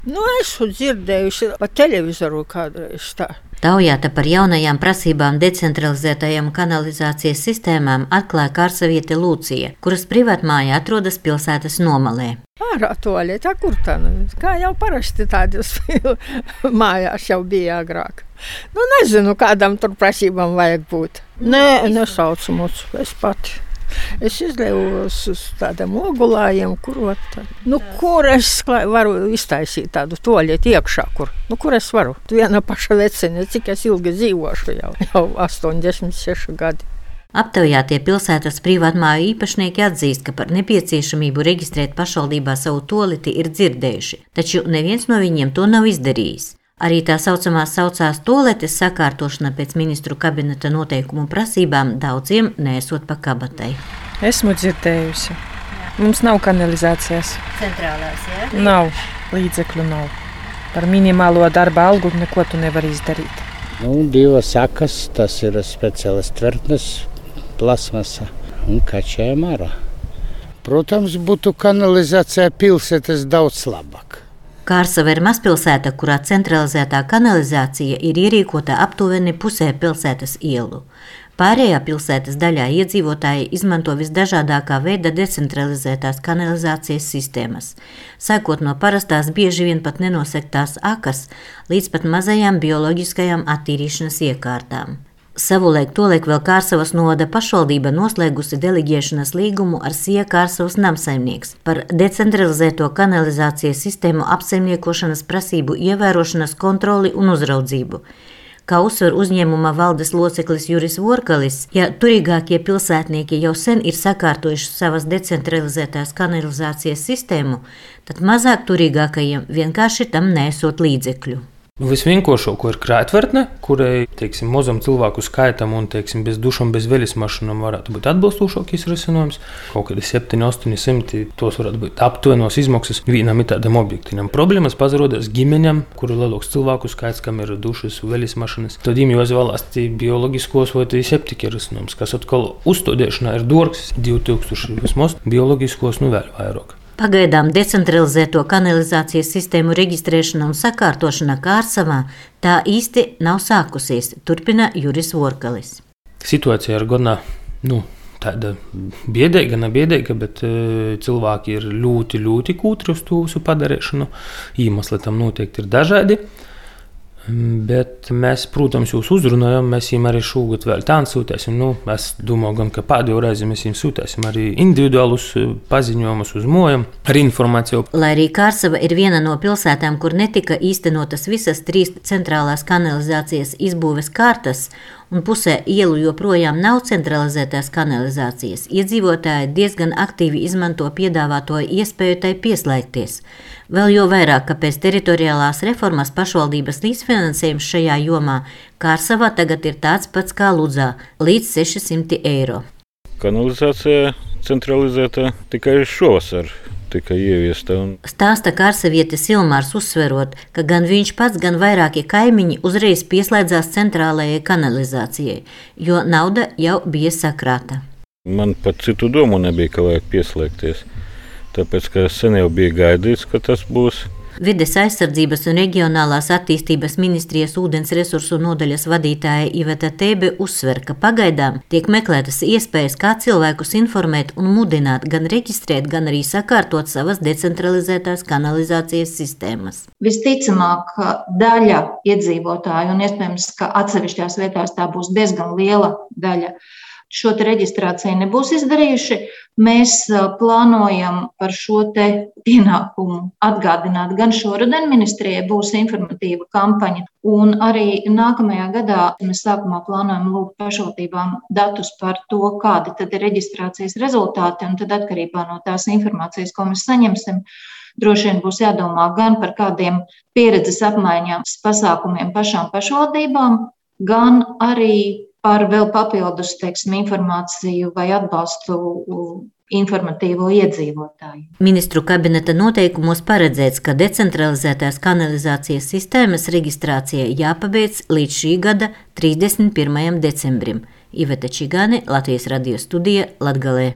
Nu, esmu dzirdējuši pa televizoru kādreiz tā. Taujāta par jaunajām prasībām decentralizētajām kanalizācijas sistēmām atklāja Kārsaviete Lūcija, kuras privātmāja atrodas pilsētas nomalē. Ārā tualete, kur tā? Kā jau parasti tādas mājās jau bija agrāk. Nu, nezinu, kādam tur prasībām vajag būt. Nē, nesaucu mūs, es pati. Es izlējos uz tādiem ogulājiem, kur es varu iztaisīt tādu tualeti iekšā, kur es varu. Viena paša vecene, cik es ilgi dzīvošu jau 86 gadi. Aptaujātie pilsētas privātmāju īpašnieki atzīst, ka par nepieciešamību reģistrēt pašvaldībā savu tualeti ir dzirdējuši, taču neviens no viņiem to nav izdarījis. Arī tā saucamās saucās tualetes sakārtošana pēc ministru kabineta noteikumu prasībām daudziem neesot pa kabatai. Esmu dzirdējusi. Mums nav kanalizācijas. Centrālās, jā? Nav. Līdzekļu nav. Par minimālo darba algu neko tu nevar izdarīt. Divas sakas, tas ir speciālas tvertnes, plasmasa un kačējam ārā. Protams, būtu kanalizācija pilsētas daudz labāk. Kārsava ir mazpilsēta, kurā centralizētā kanalizācija ir ierīkota aptuveni pusē pilsētas ielu. Pārējā pilsētas daļā iedzīvotāji izmanto visdažādākā veida decentralizētās kanalizācijas sistēmas, sākot no parastās bieži vien pat nenosektās akas līdz pat mazajām bioloģiskajām attīrīšanas iekārtām. Savulaik tolaik vēl Kārsavas novada pašvaldība noslēgusi deleģēšanas līgumu ar Sija Kārsavas namsaimnieks par decentralizēto kanalizācijas sistēmu apsaimniekošanas prasību ievērošanas kontroli un uzraudzību. Kā uzsver uzņēmuma valdes loceklis Juris Vorkalis, ja turīgākie pilsētnieki jau sen ir sakārtojuši savas decentralizētās kanalizācijas sistēmu, tad mazāk turīgākajiem vienkārši tam nesot līdzekļu. Visvienkāršāko ir krātvertne, kurai, mazam cilvēku skaitam un, bez dušām, bez veļas mašīnām varētu būt atbilstošākais risinājums. Kaut kādi 700–800, tos varētu būt aptuvenos izmaksas vienam tādam objektīvam. Problēmas pazarodās ģimeņam, kuru lielāks cilvēku skaits, kam ir dušas, veļas mašīnas. Tad viņiem jāizvēlās bioloģiskos vai septika risinājums, kas atkal uzstādīšanā ir dārgs, 2000 vismaz, bioloģiskos vēl vairāk. Pagaidām decentralizēto kanalizācijas sistēmu reģistrēšana un sakārtošana Kārsavā tā īsti nav sākusies, turpina Juris Vorkalis. Situācija ir gana, tāda biedēga, nebiedēga, bet cilvēki ir ļoti kūtri uz to visu padarīšanu. Iemesli tam noteikti ir dažādi. Bet mēs, protams, jūs uzrunājam, mēs viņiem arī šogad vēl tādu sūtēsim. Es domāju, gan, ka pēdējo reizi mēs viņiem sūtēsim arī individuālus paziņojumus uz mojām ar informāciju. Lai arī Kārsava ir viena no pilsētām, kur netika īstenotas visas 3 centrālās kanalizācijas izbūves kārtas, un pusē ielu joprojām nav centralizētās kanalizācijas, iedzīvotāji diezgan aktīvi izmanto piedāvāto iespēju tai pieslēgties. Vēl jo vairāk, ka pēc teritoriālās reformas pašvaldības līdzfinansējums šajā jomā Kārsavā tagad ir tāds pats kā Ludzā – līdz 600 eiro. Kanalizācija centralizēta tikai šovasar. Tika ieviesta. Stāsta Kārsavietis Ilmārs, uzsverot, ka gan viņš pats, gan vairākie kaimiņi uzreiz pieslēdzās centrālajai kanalizācijai, jo nauda jau bija sakrāta. Man pat citu domu nebija, ka vajag pieslēgties, tāpēc, ka sen jau bija gaidīts, ka tas būs. Vides aizsardzības un reģionālās attīstības ministrijas ūdens resursu nodaļas vadītāja Iveta Tēbe uzsver, ka pagaidām tiek meklētas iespējas, kā cilvēkus informēt un mudināt gan reģistrēt, gan arī sakārtot savas decentralizētās kanalizācijas sistēmas. Visticamāk, daļa iedzīvotāju, un iespējams, ka atsevišķās vietās tā būs diezgan liela daļa, šo te reģistrāciju nebūs izdarījuši. Mēs plānojam par šo te pienākumu atgādināt gan šoruden ministrijai, būs informatīva kampaņa, un arī nākamajā gadā mēs sākumā plānojam lūgt pašvaldībām datus par to, kādi tad ir reģistrācijas rezultāti, un tad atkarībā no tās informācijas, ko mēs saņemsim, droši vien būs jādomā gan par kādiem pieredzes apmaiņām pasākumiem pašām pašvaldībām, gan arī par vēl papildus, informāciju vai atbalstu informatīvo iedzīvotāju. Ministru kabineta noteikumos paredzēts, ka decentralizētās kanalizācijas sistēmas reģistrācija jāpabeidz līdz šī gada 31. decembrim. Iveta Čigāne, Latvijas radio studija, Latgalē.